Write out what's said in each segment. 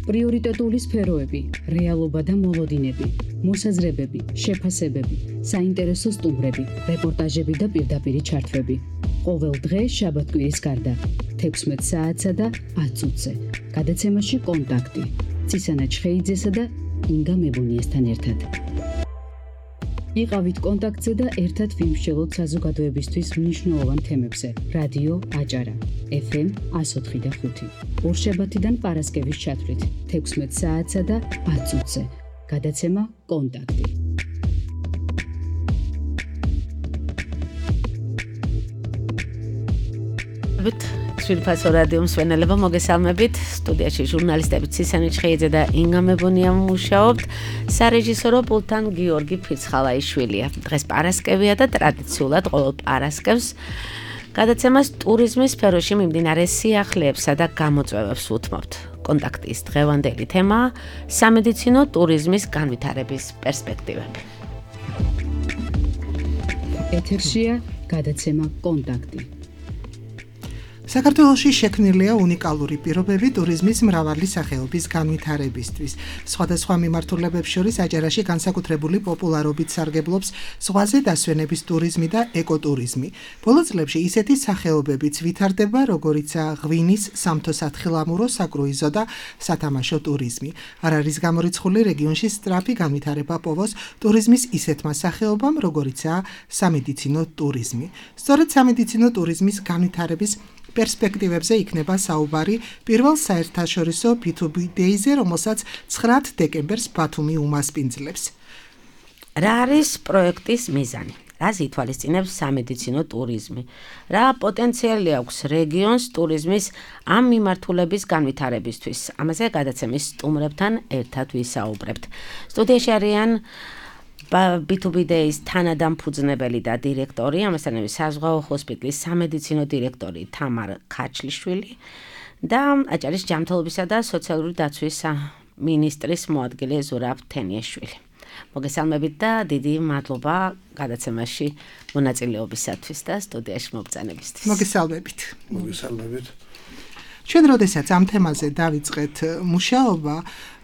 პრიორიტეტული სფეროები, რეალობა და მოლოდინები, მოსაზრებები, შეფასებები, საინტერესო სტუმრები, რეპორტაჟები და პირდაპირი ჩართვები. ყოველ დღე შაბათ-კვირის გარდა 16 საათსა და 10 წუთზე. გადაცემაში კონტაქტი. ცისანა ჩხეიძესა და ინგა მებუნიესთან ერთად. იყავით კონტაქტზე და ერთად ვიმსჯელოთ საზოგადოებისთვის მნიშვნელოვან თემებზე. რადიო აჭარა, FM 104.5. ორშაბათიდან პარასკევის ჩათვლით 16 საათსა და 10 წუთზე. გადაცემა კონტაქტი. სვირფასო რადიო მსვენელებო მოგესალმებით. სტუდიაში ჟურნალისტები ცისანი ჩხეიძე და ინგა მებუნია მუშაობთ. სარეჟისორო პულტთან გიორგი ფიცხალაიშვილია. დღეს პარასკევია და ტრადიციულად ყოველ პარასკევს გადაცემას ტურიზმის სფეროში მიმდინარე სიახლეებსა და გამოწვევებს უთმობთ. კონტაქტის დღევანდელი თემაა სამედიცინო ტურიზმის განვითარების პერსპექტივები. ეთერშია გადაცემა კონტაქტი. საქართველოში შექმნილია უნიკალური პირობები ტურიზმის მრავალი სახეობის განვითარებისთვის. სხვადასხვა მიმართულებებს შორის აჭარაში განსაკუთრებული პოპულარობით სარგებლობს ზღვაზე დასვენების ტურიზმი და ეკოტურიზმი. ბოლო წლებში ისეთი სახეობებიც ვითარდება, როგორიცაა ღვინის, სამთო-სათხილამურო, საკრუიზო და სათამაშო ტურიზმი. არ არის გამორიცხული რეგიონში სწრაფი განვითარება პოვოს ტურიზმის ისეთმა სახეობამ, როგორიცაა სამედიცინო ტურიზმი. სწორედ სამედიცინო ტურიზმის განვითარების პერსპექტივებზე იქნება საუბარი პირველ საერთაშორისო B2B Day-ზე, რომელსაც 9 დეკემბერს ბათუმი უმასპინძლებს. რა არის პროექტის მიზანი? რას ითვალისწინებს სამედიცინო ტურიზმი? რა პოტენციალი აქვს რეგიონს ტურიზმის ამ მიმართულების განვითარებისთვის? ამაზე გადაცემის სტუმრებთან ერთად ვისაუბრებთ. სტუდიაში არიან B2B Day-ის თანადამფუძნებელი და დირექტორი, ამასთანავე საზღვაო ჰოსპიტალის სამედიცინო დირექტორი თამარ ქაჩლიშვილი და აჭარის ჯანმრთელობისა და სოციალური დაცვის მინისტრის მოადგილე ზურაბ თენიაშვილი. მოგესალმებით და დიდი მადლობა გადაცემაში მონაწილეობისათვის და სტუდიაში მობრძანებისთვის. მოგესალმებით. მოგესალმებით. ჩვენ როდესაც ამ თემაზე დავიწყეთ მუშაობა,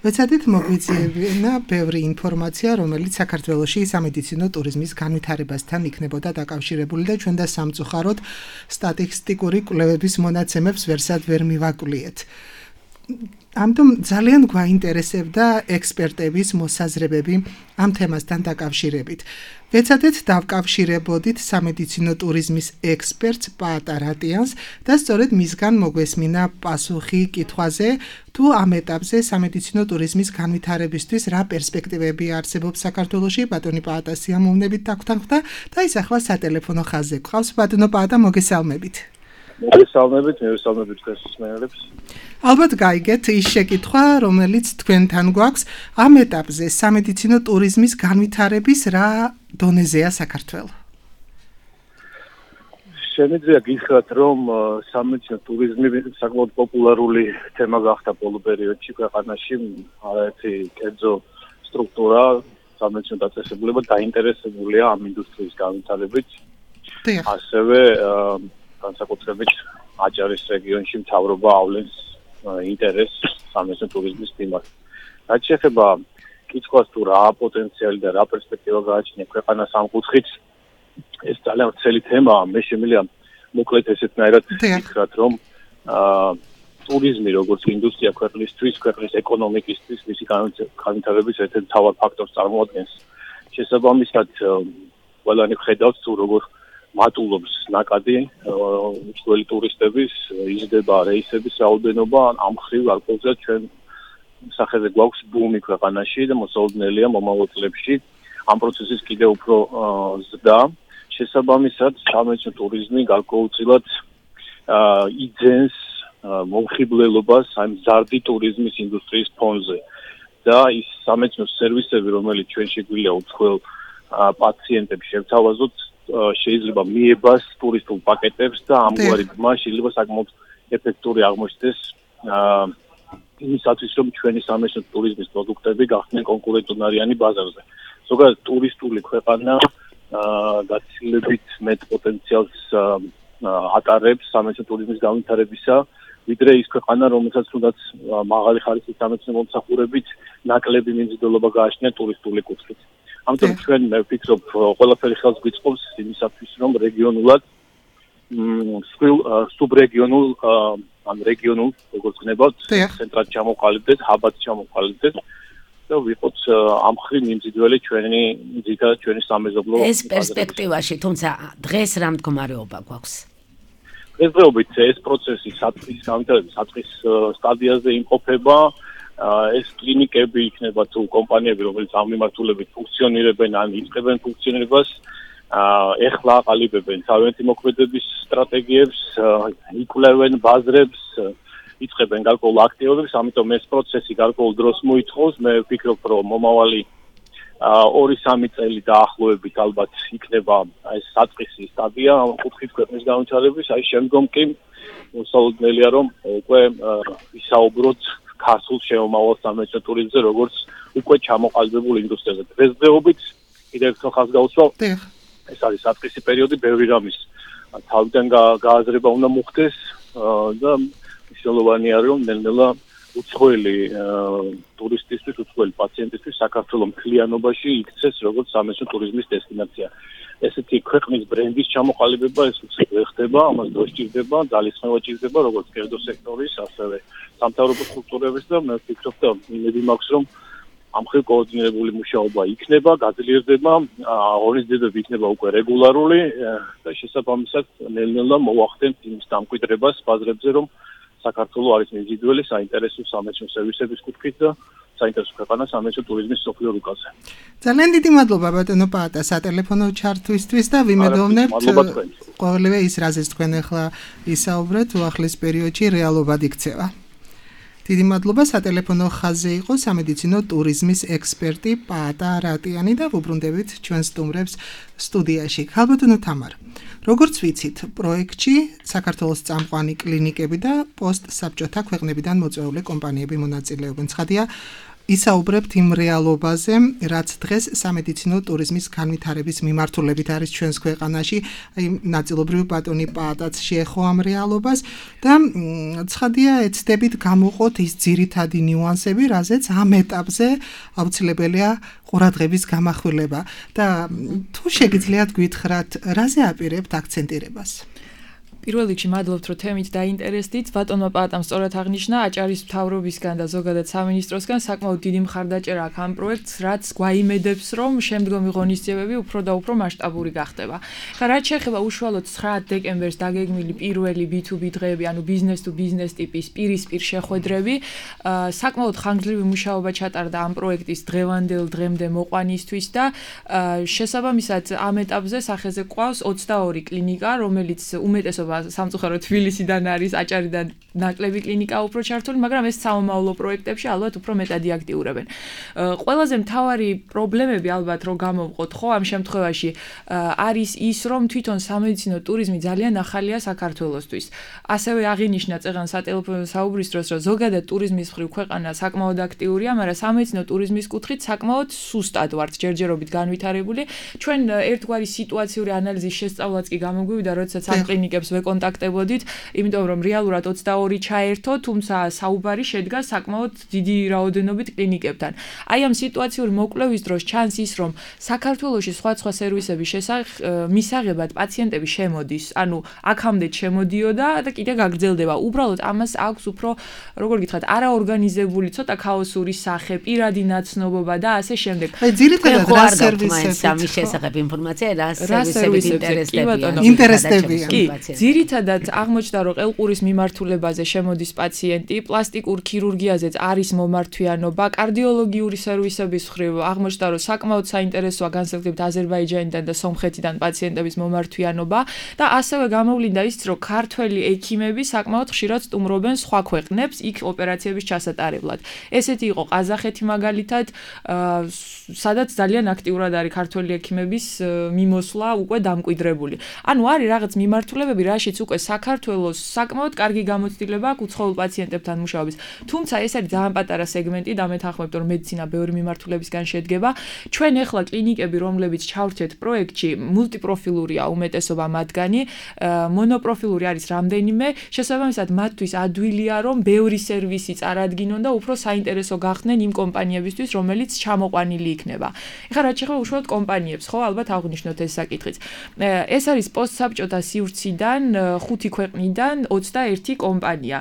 ვეცადეთ მოგვიწევინა ბევრი ინფორმაცია, რომელიც საქართველოში სამედიცინო ტურიზმის განვითარებასთან იქნებოდა დაკავშირებული და ჩვენ და სამწუხაროდ სტატისტიკური კვლევების მონაცემებს ვერსად ვერ მივაკვლიეთ. ამიტომ ძალიან გვაინტერესებდა ექსპერტების მოსაზრებები ამ თემასთან დაკავშირებით. ვეცადეთ დავკავშირებოდით სამედიცინო ტურიზმის ექსპერტს პაატარატიანს და სწორედ მისგან მოგვესმინა პასუხი კითხვაზე, თუ ამ ეტაპზე სამედიცინო ტურიზმის განვითარებისთვის რა პერსპექტივები არსებობს საქართველოში. ბატონი პაატა სიამოვნებით დაგვრთანხმდა და ის ახლა სატელეფონო ხაზზე გვყავს. ბატონო პაატა, მოგესალმებით. მოგესალმებით დღეს მსმენელებს. ალბათ გაიგეთ ის შეკითხვა, რომელიც თქვენთან გვაქვს, ამ ეტაპზე სამედიცინო ტურიზმის განვითარების რა დონეზეა საქართველო? შემიძლია გითხრათ, რომ სამედიცინო ტურიზმი საკმაოდ პოპულარული თემა გახდა ბოლო პერიოდში ქვეყანაში. არაერთი კერძო სტრუქტურა სამედიცინო დაწესებულება დაინტერესებულია ამ ინდუსტრიის განვითარებით. ასევე განსაკუთრებით აჭარის რეგიონში მთავრობა ავლენს ინტერესს სამედიცინო ტურიზმის მიმართ. რაც შეეხება კითხვას, თუ რა პოტენციალი და რა პერსპექტივა გააჩნია ქვეყანას ამ კუთხით, ეს ძალიან ვრცელი თემაა. მე შემიძლია მოკლედ ესეთნაირად ვითხრათ, რომ ტურიზმი როგორც ინდუსტრია ქვეყნისთვის, ქვეყნის ეკონომიკისთვის, მისი განვითარების ერთ-ერთ მთავარ ფაქტორს წარმოადგენს. შესაბამისად, ყველანი ხედავს, თუ როგორ მატულობს ნაკადი უცხოელი ტურისტების, იზრდება რეისების რაოდენობა. ამ მხრივ ალკოჰოლზე ჩვენ სახეზე გვაქვს ბუმი ქვეყანაში და მოსაოდნელია მომავალ წლებში ამ პროცესის კიდევ უფრო ზრდა. შესაბამისად, სამედიცინო ტურიზმი გარკვეულწილად იძენს მომხიბლელობას ამ მზარდი ტურიზმის ინდუსტრიის ფონზე და ის სამედიცინო სერვისები, რომელიც ჩვენ შეგვიძლია უცხოელ პაციენტებს შევთავაზოთ, შეიძლება მიებას ტურისტულ პაკეტებს და ამგვარი ბმა შეიძლება საკმაოდ ეფექტური აღმოჩნდეს იმისათვის, რომ ჩვენი სამედიცინო ტურიზმის პროდუქტები გახდნენ კონკურენტუნარიანი ბაზარზე. ზოგადად ტურისტული ქვეყანა გაცილებით მეტ პოტენციალს ატარებს სამედიცინო ტურიზმის განვითარებისა, ვიდრე ის ქვეყანა, რომელსაც თუნდაც მაღალი ხარისხის სამეცნიერო მომსახურებით ნაკლები მიმზიდველობა გააჩნია ტურისტული კუთხით. ამიტომ ჩვენ მე ვფიქრობ, ყველაფერი ხელს გვიწყობს იმისათვის, რომ რეგიონულად სუბრეგიონულ ან რეგიონულ როგორც გნებავთ, ცენტრად ჩამოყალიბდეთ, ჰაბად ჩამოყალიბდეთ და ვიყოთ ამ ხრივ მიმზიდველი ჩვენი სამეზობლო ეს პერსპექტივაში, თუმცა დღეს რა მდგომარეობა გვაქვს? დღესდღეობით ეს პროცესი საწყის სტადიაზე იმყოფება. ეს კლინიკები იქნება თუ კომპანიები, რომელიც ამ მიმართულებით ფუნქციონირებენ ან იწყებენ ფუნქციონირებას, ეხლა აყალიბებენ თავიანთი მოქმედების სტრატეგიებს, იკვლევენ ბაზრებს, იწყებენ გარკვეულ აქტივობებს, ამიტომ ეს პროცესი გარკვეულ დროს მოითხოვს. მე ვფიქრობ, რომ მომავალი 2-3 წელი დაახლოებით ალბათ იქნება ეს საწყისი სტადია ამ კუთხით ქვეყნის განვითარების, აი შემდგომ კი მოსალოდნელია, რომ უკვე ვისაუბროთ ქართულ შემომავალ სამეცნიერო ტურიზმზე, როგორც უკვე ჩამოყალიბებულ ინდუსტრიაზე. დღესდღეობით კიდევ ერთხელ ხაზს გაუსვა, ეს არის საწყისი პერიოდი, ბევრი რამის თავიდან გააზრება უნდა მოხდეს და მნიშვნელოვანია, რომ ნელ-ნელა უცხოელი ტურისტისთვის, უცხოელი პაციენტისთვის საქართველოს მთლიანობაში იქცეს როგორც სამეცნიერო ტურიზმის დესტინაცია. ესეთი ქვეყნის ბრენდის ჩამოყალიბება ეს უცებ ხდება, ამას დრო სჭირდება, ძალისხმევა სჭირდება როგორც კერძო სექტორის, ასევე სამთავრობო სტრუქტურების და მე ვფიქრობ, და იმედი მაქვს, რომ ამ ხრივ კოორდინირებული მუშაობა იქნება, გაძლიერდება, ორგანიზებები იქნება უკვე რეგულარული და შესაბამისად ნელ-ნელა მოახდენთ იმის დამკვიდრებას ბაზრებზე, რომ საქართველოს არის მიმზიდველი საინტერესო სამეცნიერო სერვისების კუთხით და საინტერესო ქვეყანა სამეცნიერო ტურიზმის სოფლიო რუკაზე. ძალიან დიდი მადლობა ბატონო პაატა სატელეფონო ჩართვისთვის და ვიმედოვნებთ ყოველივე ის რაზეც თქვენ ახლა ისაუბრეთ უახლეს პერიოდში რეალობად იქცევა. დიდი მადლობა სატელეფონო ხაზზე იყო სამედიცინო ტურიზმის ექსპერტი პაატა რატიანი და ვუბრუნდებით ჩვენ სტუმრებს სტუდიაში. ხალბატონო თამარ, როგორც ვიცით, პროექტში საქართველოს წამყვანი კლინიკები და პოსტსაბჭოთა ქვეყნებიდან მოწვეული კომპანიები მონაწილეობენ. ცხადია, ისაუბრებთ იმ რეალობაზე, რაც დღეს სამედიცინო ტურიზმის განვითარების მიმართულებით არის ჩვენს ქვეყანაში, აი ნაწილობრივ ბატონი პაატაც შეეხო ამ რეალობას და ცხადია, ეცდებით გამოყოთ ის ძირითადი ნიუანსები, რაზეც ამ ეტაპზე აუცილებელია ყურადღების გამახვილება და თუ შეგიძლიათ გითხრათ, რაზე აპირებთ აქცენტირებას? პირველ რიგში მადლობთ, რომ თემით დაინტერესდით. ბატონმა პაატამ სწორად აღნიშნა, აჭარის მთავრობისგან და ზოგადად სამინისტროსგან საკმაოდ დიდი მხარდაჭერა აქვს ამ პროექტს, რაც გვაიმედებს, რომ შემდგომი ღონისძიებები უფრო და უფრო მასშტაბური გახდება. ხა რაც შეეხება უშუალოდ 9 დეკემბერს დაგეგმილი პირველი B2B დღეები, ანუ ბიზნეს თუ ბიზნეს ტიპის პირისპირ შეხვედრები, საკმაოდ ხანგრძლივი მუშაობა ჩატარდა ამ პროექტის დღევანდელ დღემდე მოყვანისთვის და შესაბამისად ამ ეტაპზე სახეზე ყავს 22 კლინიკა, რომელიც უმეტესობა სამწუხაროდ თბილისიდან არის, აჭარიდან ნაკლები კლინიკა უფრო ჩართული, მაგრამ ეს სამომავლო პროექტებში ალბათ უფრო მეტად აქტიურებენ. ყველაზე მთავარი პრობლემები ალბათ რომ გამოვყოთ, ხო, ამ შემთხვევაში არის ის, რომ თვითონ სამედიცინო ტურიზმი ძალიან ახალია საქართველოსთვის. ასევე აღინიშნა წეღან სატელეფონო საუბრის დროს, რომ ზოგადად ტურიზმის მხრივ ქვეყანა საკმაოდ აქტიურია, მაგრამ სამედიცინო ტურიზმის კუთხით საკმაოდ სუსტად ვართ ჯერჯერობით განვითარებული. ჩვენ ერთგვარი სიტუაციური ანალიზის შესწავლაც კი გამოგვივიდა, როდესაც ამ კლინიკებს ვეკონტაქტებოდით, იმიტომ რომ რეალურად 22 ჩაერთო, თუმცა საუბარი შედგა საკმაოდ დიდი რაოდენობით კლინიკებთან. აი ამ სიტუაციური მოკვლევის დროს ჩანს ის, რომ საქართველოში სხვა სერვისების მისაღებად პაციენტები შემოდის, ანუ აქამდე შემოდიოდა და კიდე გაგრძელდება. უბრალოდ ამას აქვს უფრო, როგორ გითხრათ, არაორგანიზებული, ცოტა ქაოსური სახე, პირადი ნაცნობობა და ასე შემდეგ. აი ძირითადად რა სერვისები ამის შესახებ ინფორმაცია, რა სერვისები ინტერესდებიან. ძირითადად აღმოჩნდა, რომ ყელყურის მიმართულებაზე შემოდის პაციენტი, პლასტიკურ ქირურგიაზეც არის მომართვიანობა, კარდიოლოგიური სერვისების მხრივ აღმოჩნდა, რომ საკმაოდ საინტერესოა განსაკუთრებით აზერბაიჯანიდან და სომხეთიდან პაციენტების მომართვიანობა და ასევე გამოვლინდა ის, რომ ქართველი ექიმები საკმაოდ ხშირად სტუმრობენ სხვა ქვეყნებს იქ ოპერაციების ჩასატარებლად. ესეთი იყო ყაზახეთი მაგალითად, სადაც ძალიან აქტიურად არის ქართველი ექიმების მიმოსვლა უკვე დამკვიდრებული. ანუ არის რაღაც მიმართულებები, რა მაშიც უკვე საქართველოს საკმაოდ კარგი გამოცდილება აქვს უცხოელ პაციენტებთან მუშაობის. თუმცა ეს არის ძალიან პატარა სეგმენტი და მეთანხმებთ, რომ მედიცინა ბევრი მიმართულებისგან შედგება. ჩვენ ახლა კლინიკები, რომლებიც ჩავრჩეთ პროექტში, მულტიპროფილურია უმეტესობა მათგანი, მონოპროფილური არის რამდენიმე, შესაბამისად მათთვის ადვილია, რომ ბევრი სერვისი წარადგინონ და უფრო საინტერესო გახდნენ იმ კომპანიებისთვის, რომელიც ჩამოყვანილი იქნება. ეხლა რაც შეეხება უშუალოდ კომპანიებს, ხო, ალბათ აღვნიშნოთ ეს საკითხიც. ეს არის პოსტსაბჭოთა სივრციდან 5 ქვეყნიდან 21 კომპანია.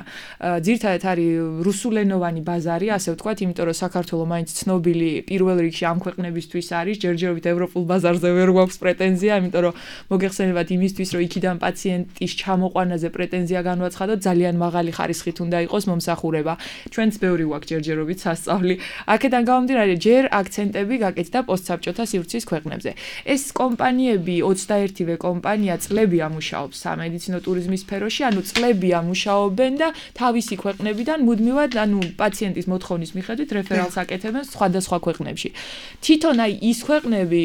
ძირითადად არის რუსულენოვანი ბაზარი, ასე ვთქვათ, იმიტომ რომ საქართველოს მაინც ცნობილი პირველ რიგში ამ ქვეყნებისთვის არის, ჯერჯერობით ევროპულ ბაზარზე ვერ გვაქვს პრეტენზია, იმიტომ რომ მოგეხსენებათ იმისთვის, რომ იქიდან პაციენტის ჩამოყვანაზე პრეტენზია განვაცხადოთ, ძალიან მაღალი ხარისხით უნდა იყოს მომსახურება. ჩვენც ბევრი გვაქვს ჯერჯერობით სასწავლი. აქედან გამომდინარე, ჯერ აქცენტები გაკეთდა პოსტსაბჭოთა სივრცის ქვეყნებზე. ეს კომპანიები 21-ვე კომპანია წლებია მუშაობს სამედიცინო ტურიზმის სფეროში, ანუ წლებია მუშაობენ და თავისი ქვეყნებიდან მუდმივად, პაციენტის მოთხოვნის მიხედვით რეფერალს აკეთებენ სხვადასხვა ქვეყნებში. თვითონ ის ქვეყნები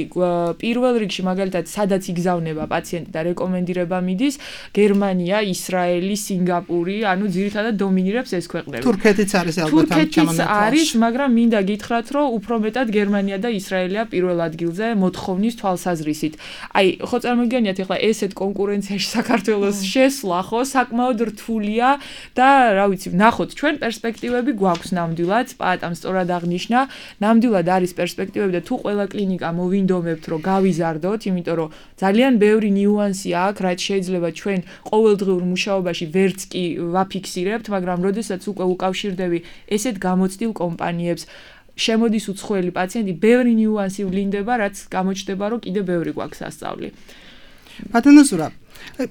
პირველ რიგში მაგალითად სადაც იგზავნება პაციენტი და რეკომენდირება მიდის, გერმანია, ისრაელი, სინგაპური, ძირითადად დომინირებს ეს ქვეყნები. თურქეთიც არის ალბათ ამ ჩამონათვალში. არის, მაგრამ მინდა გითხრათ, რომ უფრო მეტად გერმანია და ისრაელია პირველ ადგილზე მოთხოვნის თვალსაზრისით. ხო წარმოგიდგენიათ ახლა ესეთ კონკურენციაში საქართველოს შესვლა, ხო, საკმაოდ რთულია და რა ვიცი, ნახოთ, ჩვენ პერსპექტივები გვაქვს ნამდვილად, პატამ სწორად აღნიშნა, ნამდვილად არის პერსპექტივები და თუ ყველა კლინიკა მოვინდომებთ, რომ გავიზარდოთ, იმიტომ რომ ძალიან ბევრი ნიუანსი აქვს, რაც შეიძლება ჩვენ ყოველდღიურ მუშაობაში ვერც კი ვაფიქსირებთ, მაგრამ როდესაც უკვე უკავშირდები ესეთ გამოცდილ კომპანიებს, შემოდის უცხოელი პაციენტი, ბევრი ნიუანსი ვლინდება, რაც გამოჩნდება, რომ კიდე ბევრი გვაქვს სასწავლი. ბატონო ზურაბ,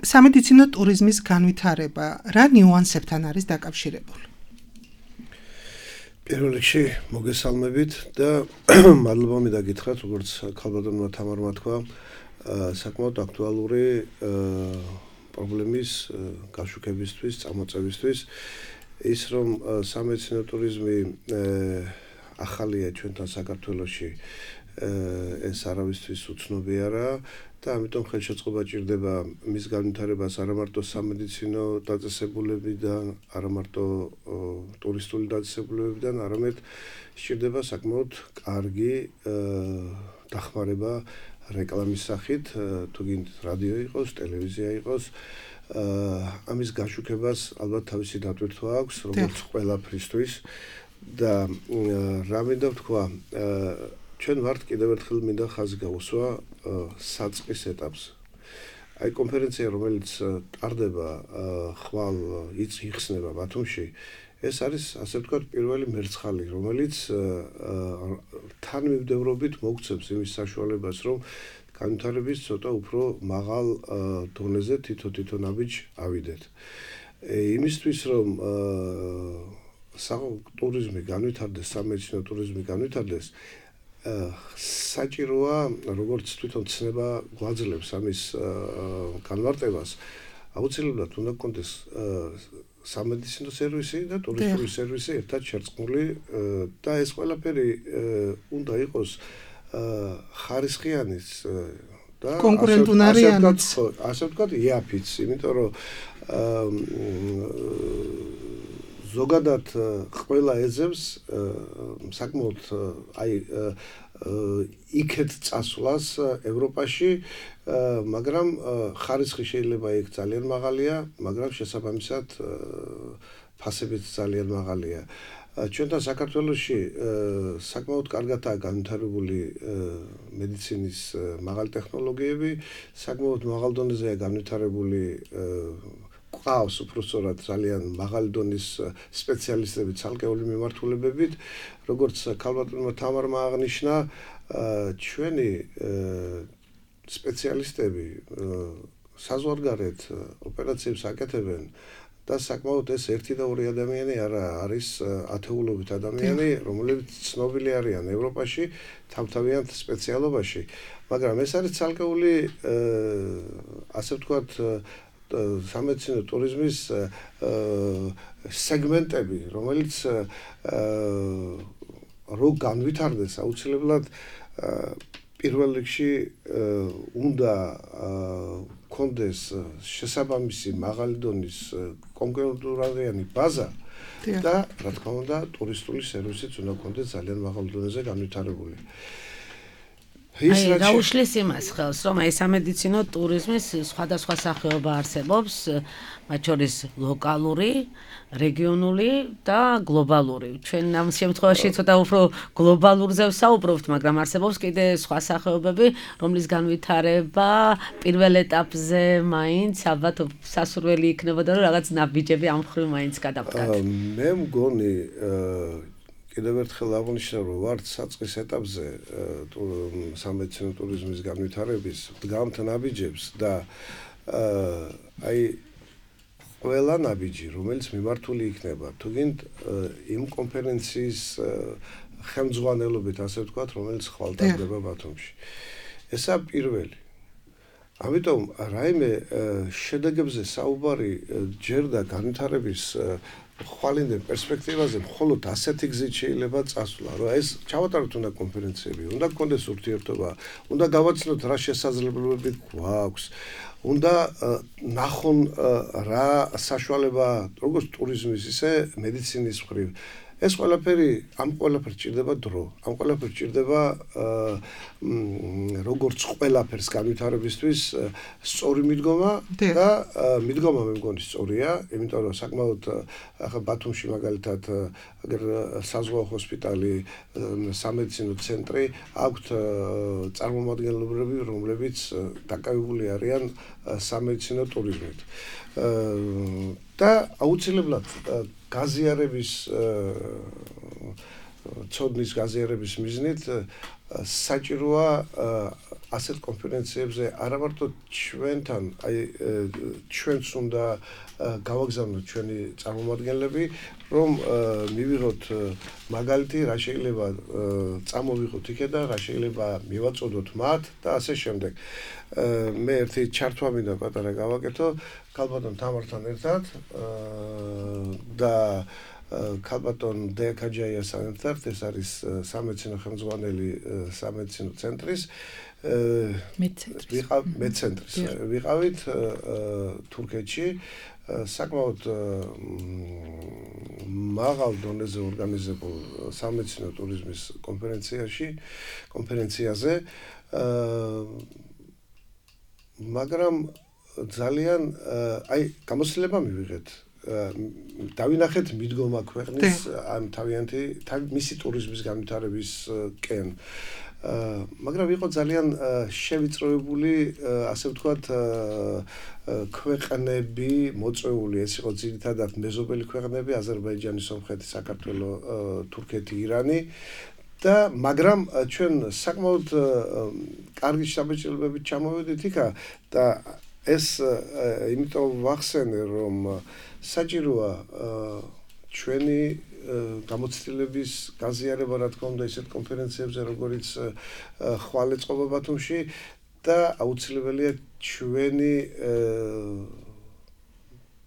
სამედიცინო ტურიზმის განვითარება რა ნიუანსებთან არის დაკავშირებული? პირველ რიგში მოგესალმებით და მადლობა მინდა გითხრათ, როგორც ქალბატონმა თამარმა თქვა, საკმაოდ აქტუალური პრობლემის გაშუქებისთვის, წამოწევისთვის, ის რომ სამედიცინო ტურიზმი ახალია ჩვენთან საქართველოში, ეს არავისთვის უცნობი არაა და ამიტომ ხელშეწყობა ჭირდება მის განვითარებას არა მარტო სამედიცინო დაწესებულებიდან, არა მარტო ტურისტული დაწესებულებიდან, არამედ სჭირდება საკმაოდ კარგი დახმარება რეკლამის სახით, თუ გინდ რადიო იყოს, ტელევიზია იყოს, ამის გაშუქებას ალბათ თავისი დატვირთვა აქვს, როგორც ყველაფრისთვის და რა მინდა ვთქვა, ჩვენ ვართ კიდევ ერთხელ მინდა ხაზი გავუსვა საწყის ეტაპს. აი კონფერენცია, რომელიც ტარდება ხვალ იხსნება ბათუმში, ეს არის, ასე ვთქვათ, პირველი მერცხალი, რომელიც თანმიმდევრობით მოგცემს იმის საშუალებას, რომ განვითარების ცოტა უფრო მაღალ დონეზე თითო ნაბიჯ ავიდეთ. იმისთვის, რომ ტურიზმი განვითარდეს, სამედიცინო ტურიზმი განვითარდეს, საჭიროა, როგორც თვითონ ცნება გვაძლევს ამის განმარტებას, აუცილებლად უნდა გქონდეს სამედიცინო სერვისი და ტურისტული სერვისი ერთად შერწყმული და ეს ყველაფერი უნდა იყოს ხარისხიანიც და კონკურენტუნარიანიც, ასე ვთქვათ, იაფიც, იმიტომ რომ ზოგადად ყველა ეძებს საკმაოდ იქეთ წასვლას ევროპაში, მაგრამ ხარისხი შეიძლება იქ ძალიან მაღალია, მაგრამ შესაბამისად ფასებიც ძალიან მაღალია. ჩვენთან საქართველოში საკმაოდ კარგადაა განვითარებული მედიცინის მაღალი ტექნოლოგიები, საკმაოდ მაღალ დონეზეა განვითარებული ყავს უბრალოდ ძალიან მაღალი დონის სპეციალისტები ცალკეული მიმართულებებით, როგორც ქალბატონმა თამარმა აღნიშნა, ჩვენი სპეციალისტები საზღვარგარეთ ოპერაციებს აკეთებენ და საკმაოდ ეს ერთი და ორი ადამიანი არა, არის ათეულობით ადამიანი, რომლებიც ცნობილი არიან ევროპაში, თავთავიანთ სპეციალობაში, მაგრამ ეს არის ცალკეული, ასე ვთქვათ, სამედიცინო ტურიზმის სეგმენტები, რომელიც რო განვითარდეს, აუცილებლად პირველ რიგში უნდა კონდეს შესაბამისი მაღალი დონის კონკურენტულადიანი ბაზა და რა თქმა უნდა ტურისტული სერვისიც უნდა კონდეს ძალიან მაღალ დონეზე განვითარებული. რა უშლის იმას ხელს, რომ ეს სამედიცინო ტურიზმის სხვადასხვა სახეობა არსებობს, მათ შორის ლოკალური, რეგიონული და გლობალური. ჩვენ ამ შემთხვევაში ცოტა უფრო გლობალურზე ვსაუბრობთ, მაგრამ არსებობს კიდე სხვა სახეობები, რომლის განვითარება პირველ ეტაპზე მაინც ალბათ სასურველი იქნებოდა, რომ რაღაც ნაბიჯები ამ მხრივ მაინც გადავდგათ. მე მგონი კიდევ ერთხელ აღნიშნავ, რომ ვართ საწყის ეტაპზე სამედიცინო ტურიზმის განვითარების დგამთ ნაბიჯებს და აი ყველა ნაბიჯი, რომელიც მიმართული იქნება, თუგინდ იმ კონფერენციის ხელმძღვანელობით, ასე ვთქვათ, რომელიც ხვალტარდება ბათუმში. ესა პირველი. ამიტომ რაიმე შედეგებზე საუბარი ჯერდა განვითარების ხვალინდელ პერსპექტივაზე მხოლოდ ასეთი გზით შეიძლება წასვლა, რომ ეს ჩავატაროთ უნდა კონფერენციები, უნდა გქონდეს ურთიერთობა, უნდა გავაცნოთ რა შესაძლებლობები გვაქვს, უნდა ნახონ რა საშუალება როგორც ტურიზმის, ისე მედიცინის მხრივ. ეს ყველაფერი ამ ყველაფერს ჭირდება დრო, ამ ყველაფერს ჭირდება როგორც ყველაფერს განვითარებისთვის სწორი მიდგომა და მიდგომა მე მგონი სწორია, იმიტომ რომ საკმაოდ ახლა ბათუმში მაგალითად საზღვაო ჰოსპიტალი, სამედიცინო ცენტრი აქვთ წარმომადგენლობები, რომლებიც დაკავებული არიან სამედიცინო ტურიზმით. და აუცილებლად გაზიარების ცოდნის გაზიარების მიზნით საჭიროა ასეთ კონფერენციებზე არა მარტო ჩვენთან, აი ჩვენც უნდა გავაგზავნოთ ჩვენი წარმომადგენლები, რომ მივიღოთ მაგალითი, რა შეიძლება წამოვიღოთ იქიდან, რა შეიძლება მივაწოდოთ მათ და ასე შემდეგ. მე ერთი ჩართვა მინდა პატარა გავაკეთო ქალბატონ თამართან ერთად და ქალბატონ დეაკაჯაიასთან ერთად, ეს არის სამედიცინო ხელმძღვანელი სამედიცინო ცენტრის მედცენტრის ვიყავით თურქეთში საკმაოდ მაღალ დონეზე ორგანიზებულ სამედიცინო ტურიზმის კონფერენციაზე მაგრამ ძალიან აი გამოცდილება მივიღეთ დავინახეთ მიდგომა ქვეყნის ამ თავიანთი მისი ტურიზმის განვითარებისკენ მაგრამ იყო ძალიან შევიწროებული ასე ვთქვათ ქვეყნები მოწვეული ეს იყო ძირითადად მეზობელი ქვეყნები აზერბაიჯანი, სომხეთი, საქართველო, თურქეთი, ირანი და მაგრამ ჩვენ საკმაოდ კარგი შთაბეჭდილებებით ჩამოვედით იქა და ეს იმიტომ ვახსენე რომ საჭიროა ჩვენი გამოცდილების გაზიარება რა თქმა უნდა ისეთ კონფერენციებზე როგორც ხვალ ეწყობა ბათუმში და აუცილებელია ჩვენი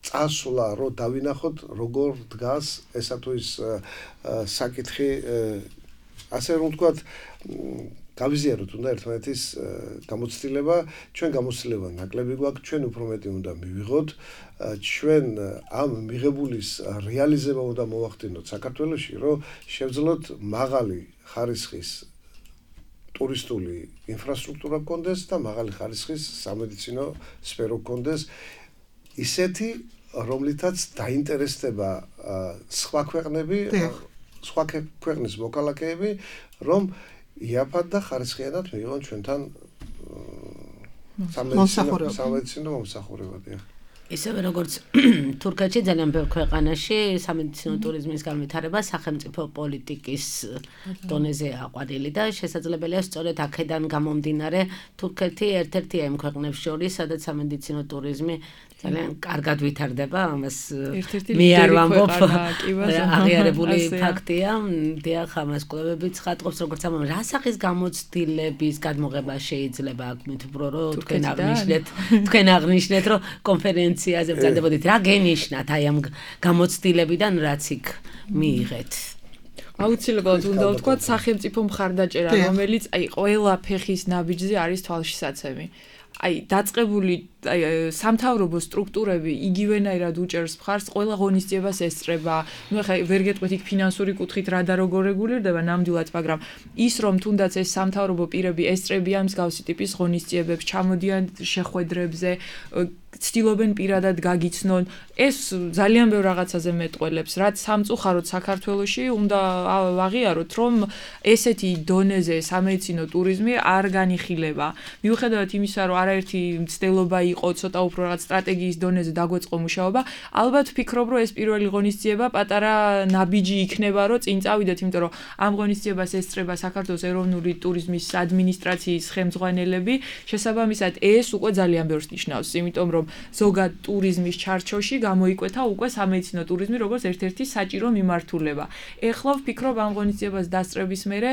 წასვლა რო დავინახოთ როგორ დგას ესა თუ ის საკითხი ასე რომ ვთქვათ გავიზიაროთ უნდა ერთმანეთის გამოცდილება ჩვენ გამოცდილება ნაკლები გვაქვს ჩვენ უფრო მეტი უნდა მივიღოთ ჩვენ ამ მიღებულის რეალიზება უნდა მოვახდინოთ საქართველოში რომ შევძლოთ მაღალი ხარისხის ტურისტული ინფრასტრუქტურა გქონდეს და მაღალი ხარისხის სამედიცინო სფერო გქონდეს ისეთი რომლითაც დაინტერესდება სხვა ქვეყნები სხვა ქვეყნის მოქალაქეები რომ იაფად და ხარისხიანად მიიღონ ჩვენთან სამედიცინო მომსახურებად ისევე როგორც თურქეთში ძალიან ბევრ ქვეყანაში სამედიცინო ტურიზმის განვითარება სახელმწიფო პოლიტიკის დონეზე აყვანილი და შესაძლებელია სწორედ აქედან გამომდინარე თურქეთი ერთ-ერთია იმ ქვეყნებს შორის სადაც სამედიცინო ტურიზმი ძალიან კარგად ვითარდება ამას მე არ ვამბობ აღიარებული ფაქტია დიახ ამას კვლევებიც ხატყობს როგორც ამ რა სახის გამოცდილების გადმოღება შეიძლება აქ უფრო რომ თქვენ აღნიშნეთ რომ კონფერენციაზე ბრძანდებოდით რა გენიშნათ აი ამ გამოცდილებიდან რაც იქ მიიღეთ აუცილებლად უნდა ვთქვათ სახელმწიფო მხარდაჭერა რომელიც აი ყველა ფეხის ნაბიჯზე არის თვალშისაცემი აი დაწყებული სამთავრობო სტრუქტურები იგივენაირად უჭერს მხარს ყველა ღონისძიებას ესწრება. ნუ ხა ვერ გეტყვით იქ ფინანსური კუთხით რა და როგორ რეგულირდება ნამდვილად, მაგრამ ის რომ თუნდაც ეს სამთავრობო პირები ესწრებიან მსგავსი ტიპის ღონისძიებებს, ჩამოდიან შეხვედრებზე, ცდილობენ პირადად გაგიცნონ, ეს ძალიან ბევრ რაღაცაზე მეტყველებს, რაც სამწუხაროდ საქართველოში უნდა აღიაროთ, რომ ესეთი დონეზე სამედიცინო ტურიზმი არ განიხილება. მიუხედავად იმისა, რომ არაერთი მცდელობა იყო ცოტა უფრო რაღაც სტრატეგიის დონეზე დაგვეწყო მუშაობა, ალბათ ვფიქრობ, რომ ეს პირველი ღონისძიება პატარა ნაბიჯი იქნება, რომ წინ წავიდეთ, იმიტომ რომ ამ ღონისძიებას ესწრება საქართველოს ეროვნული ტურიზმის ადმინისტრაციის ხელმძღვანელები, შესაბამისად ეს უკვე ძალიან ბევრს ნიშნავს, იმიტომ რომ ზოგად ტურიზმის ჩარჩოში გამოიკვეთა უკვე სამედიცინო ტურიზმი როგორც ერთ-ერთი საჭირო მიმართულება. ეხლა ვფიქრობ ამ ღონისძიებას დასწრების მერე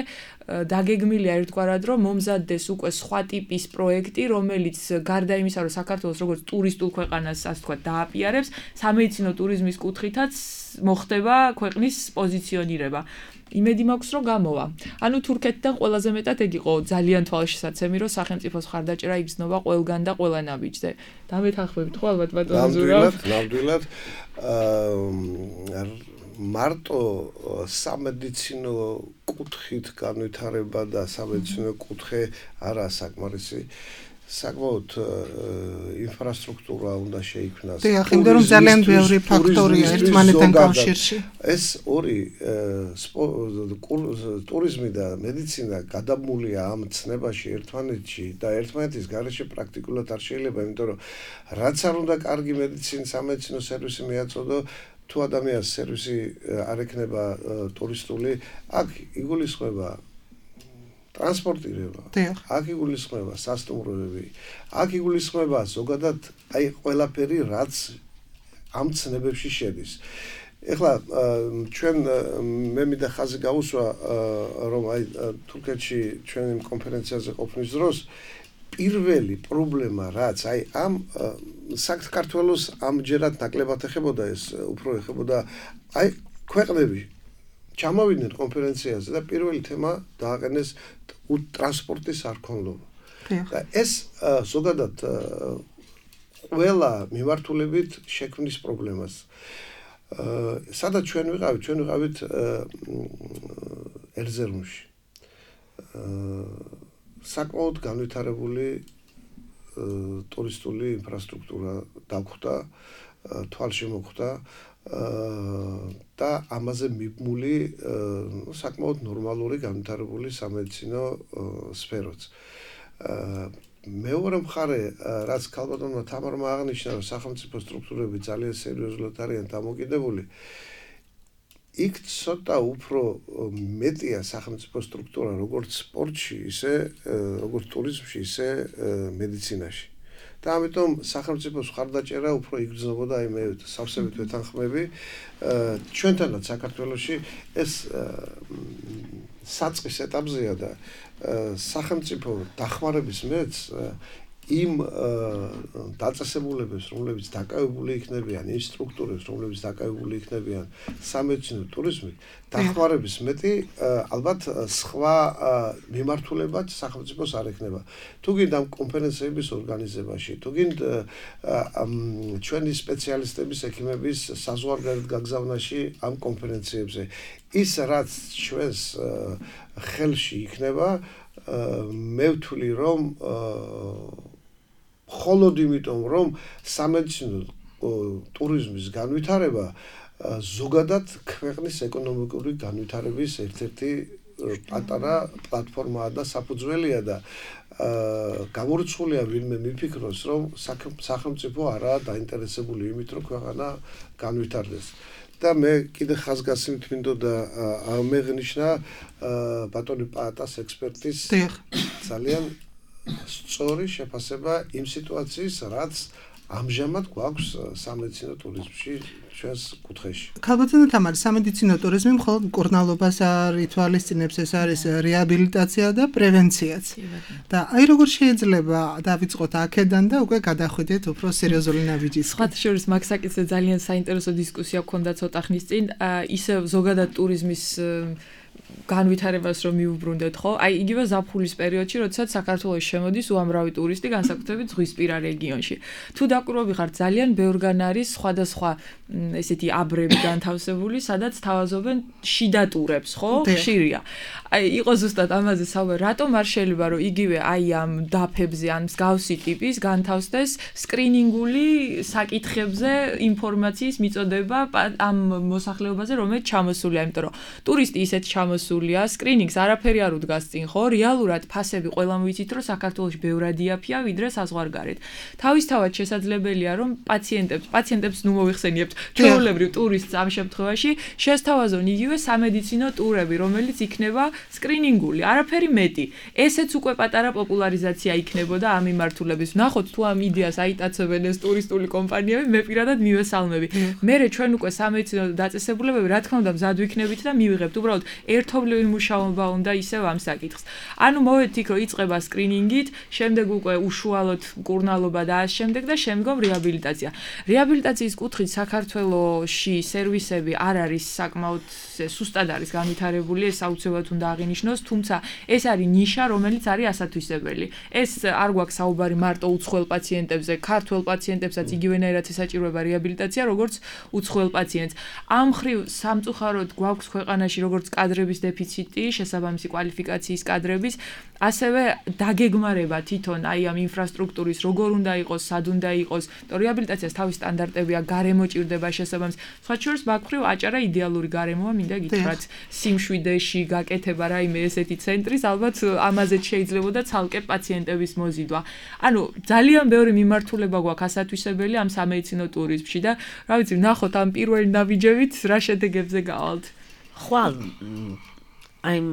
დაგეგმილია ერთგვარად, რომ მომზადდეს უკვე სხვა ტიპის პროექტი, რომელიც გარდა იმისა, რომ საქართველოს როგორც ტურისტულ ქვეყანას, ასე ვთქვათ, დააპიარებს, სამედიცინო ტურიზმის კუთხითაც მოხდება ქვეყნის პოზიციონირება. იმედი მაქვს, რომ გამოვა. ანუ თურქეთიდან ყველაზე მეტად ეგ იყო ძალიან თვალშისაცემი, რომ სახელმწიფოს ხარდაჭერა იგრძნობა ყველგან და ყველა ნაბიჯზე. დამეთანხმებით ხო ალბათ ბატონო ზურაბ? ნამდვილად. მარტო სამედიცინო კუთხით განვითარება და სამედიცინო კუთხე არაა საკმარისი. საკმაოდ ინფრასტრუქტურა უნდა შეიქმნას. დიახ, იმიტომ რომ ძალიან ბევრი ფაქტორია ერთმანეთთან კავშირში. ეს ორი ტურიზმი და მედიცინა გადაბმულია ამ ცნებაში ერთმანეთში და ერთმანეთის გარეშე პრაქტიკულად არ შეიძლება, იმიტომ რომ რაც არ უნდა კარგი მედიცინის სამედიცინო სერვისი მიაწოდო, თუ ადამიანს სერვისი არ ექნება ტურისტული, აქ იგულისხმება ტრანსპორტირება, აქ იგულისხმება სასტუმროები, აქ იგულისხმება ზოგადად აი ყველაფერი, რაც ამ ცნებებში შედის. ეხლა ჩვენ მე მინდა ხაზი გავუსვა, რომ აი თურქეთში ჩვენ იმ კონფერენციაზე ყოფნის დროს პირველი პრობლემა, რაც აი ამ საქართველოს ამჯერად ნაკლებად ეხებოდა, ეს უფრო ეხებოდა აი ქვეყნები ჩამოვიდნენ კონფერენციაზე და პირველი თემა დააყენეს ტრანსპორტის არქონლობა. და ეს ზოგადად ყველა მიმართულებით შექმნის პრობლემას. სადაც ჩვენ ვიყავით ერზერუმში. საკმაოდ განვითარებული ტურისტული ინფრასტრუქტურა დაგხვდა, თვალშემოხვდა და ამაზე მიბმული საკმაოდ ნორმალური განვითარებული სამედიცინო სფეროც. მეორე მხარე, რაც ქალბატონმა თამარმა აღნიშნა, რომ სახელმწიფო სტრუქტურები ძალიან სერიოზულად არიან დამოკიდებული, იქ ცოტა უფრო მეტია სახელმწიფო სტრუქტურა როგორც სპორტში, ისე როგორც ტურიზმში, ისე მედიცინაში. და ამიტომ სახელმწიფოს ხარდაჭერა უფრო იგრძნობოდა, აი მე სავსებით ვეთანხმები, ჩვენთანაც საქართველოში ეს საწყის ეტაპზეა და სახელმწიფო დახმარების მეც იმ დაწესებულებებს, რომლებიც დაკავებული იქნებიან, იმ სტრუქტურებს, რომლებიც დაკავებული იქნებიან სამედიცინო ტურიზმით, დახმარების მეტი ალბათ სხვა მიმართულებაც სახელმწიფოს არ ექნება. თუ გინდა ამ კონფერენციების ორგანიზებაში, თუ გინდა ჩვენი სპეციალისტების, ექიმების საზღვარგარეთ გაგზავნაში ამ კონფერენციებზე, ის რაც ჩვენს ხელში იქნება, მე ვთვლი, რომ მხოლოდ იმიტომ, რომ სამედიცინო ტურიზმის განვითარება ზოგადად ქვეყნის ეკონომიკური განვითარების ერთ-ერთი პატარა პლატფორმაა და საფუძველია და გამორიცხულია ვინმე მიფიქროს, რომ სახელმწიფო არაა დაინტერესებული იმით, რომ ქვეყანა განვითარდეს. და მე კიდე ხაზგასმით მინდოდა ამეღნიშნა ბატონი პაატას ექსპერტის ძალიან სწორი შეფასება იმ სიტუაციის, რაც ამჟამად გვაქვს სამედიცინო ტურიზმში ჩვენს კუთხეში. ქალბატონო თამარი, სამედიცინო ტურიზმი მხოლოდ მკურნალობას არ ითვალისწინებს, ეს არის რეაბილიტაცია და პრევენციაც. და აი როგორ შეიძლება დავიწყოთ აქედან და უკვე გადახვიდეთ უფრო სერიოზული ნაბიჯის. სხვათა შორის მაგ საკითხზე ძალიან საინტერესო დისკუსია გქონდა ცოტა ხნის წინ, ისევ ზოგადად ტურიზმის განვითარებას რომ მიუბრუნდეთ, ხო? აი იგივე ზაფხულის პერიოდში, როდესაც საქართველოს შემოდის უამრავი ტურისტი, განსაკუთრებით ზღვისპირა რეგიონში. თუ დაკვირვები ხართ, ძალიან ბევრგან არის სხვადასხვა ესეთი აბრები განთავსებული, სადაც თავაზობენ შიდა ტურებს, ხო? ხშირია. აი იყო ზუსტად ამაზე საუბარი, რატომ არ შეიძლება რომ იგივე აი ამ დაფებზე ან მსგავსი ტიპის განთავსდეს სკრინინგული საკითხებზე ინფორმაციის მიწოდება ამ მოსახლეობაზე, რომელიც ჩამოსულია, იმიტომ რომ ტურისტი ისეთ ჩამოსულია, სკრინინგს არაფერი არ უდგას წინ, ხო? რეალურად ფასები ყველამ ვიცით, რომ საქართველოში ბევრად იაფია, ვიდრე საზღვარგარეთ. თავისთავად შესაძლებელია, რომ პაციენტებს ნუ მოიხსენიებთ, ჩვეულებრივ ტურისტს ამ შემთხვევაში შესთავაზონ იგივე სამედიცინო ტურები, რომელიც იქნება სკრინინგული, არაფერი მეტი. ესეც უკვე პატარა პოპულარიზაცია იქნებოდა ამ მიმართულების. ნახოთ თუ ამ იდეას აიტაცებენ ეს ტურისტული კომპანიები, მე პირადად მივესალმები. მერე ჩვენ უკვე სამედიცინო დაწესებულებები, რა თქმა უნდა, მზად ვიქნებით და მივიღებთ. უბრალოდ ერთობლივი მუშაობა უნდა ისევ ამ საკითხს. ანუ მოვედით იქ, რომ იწყება სკრინინგით, შემდეგ უკვე უშუალოდ მკურნალობა და ამ შემდეგ და შემდგომ რეაბილიტაცია. რეაბილიტაციის კუთხით საქართველოში სერვისები არ არის საკმაოდ სუსტად არის განვითარებული, ეს აუცილებლად უნდა აღინიშნოს, თუმცა ეს არის ნიშა, რომელიც არის ასათვისებელი. ეს არ გვაქვს საუბარი მარტო უცხოელ პაციენტებზე, ქართველ პაციენტებსაც იგივენაირად ესაჭიროება რეაბილიტაცია, როგორც უცხოელ პაციენტს. ამ მხრივ სამწუხაროდ გვაქვს ქვეყანაში როგორც კადრების დეფიციტი, შესაბამისი კვალიფიკაციის კადრების, ასევე დაგეგმარება თვითონ აი ამ ინფრასტრუქტურის როგორ უნდა იყოს, სად უნდა იყოს, რეაბილიტაციას თავის სტანდარტებია, გარემო ჭირდება შესაბამის. სხვა შორის მაგ-მხრივ აჭარა იდეალური გარემოა, მინდა გითხრათ, სიმშვიდეში გაკეთება რაიმე ესეთი ცენტრის, ალბათ ამაზეც შეიძლებოდა ცალკე პაციენტების მოზიდვა. ანუ ძალიან ბევრი მიმართულება გვაქვს ასათვისებელი ამ სამედიცინო ტურიზმში და რა ვიცი, ნახოთ ამ პირველი ნაბიჯებით რა შედეგებზე გავალთ. ხვალ I'm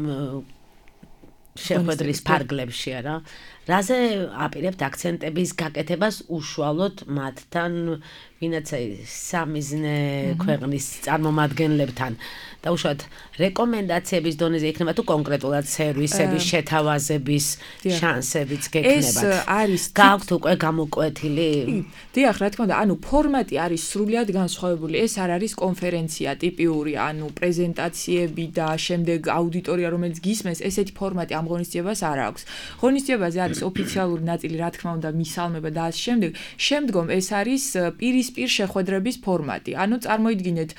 შეხვედრის ფარგლებში არა. რაზე აპირებთ აქცენტების გაკეთებას უშუალოდ მათთან, ვინაც სამიზნე ქვეყნის წარმომადგენლებთან და უშუალოდ რეკომენდაციების დონეზე იქნება თუ კონკრეტულად სერვისების შეთავაზების შანსებიც გექნებათ. ეს არის გაქვთ უკვე გამოკვეთილი? დიახ, რა თქმა უნდა, ანუ ფორმატი არის სრულიად განსხვავებული. ეს არ არის კონფერენცია ტიპიური, ანუ პრეზენტაციები და შემდეგ აუდიტორია, რომელიც გისმენს, ესეთი ფორმატი ამ ღონისძიებას არ აქვს. ღონისძიებაზე არის ოფიციალური ნაწილი, რა თქმა უნდა, მისალმება და ამ შემდგომ ეს არის პირისპირ შეხვედრების ფორმატი. ანუ წარმოიდგინეთ,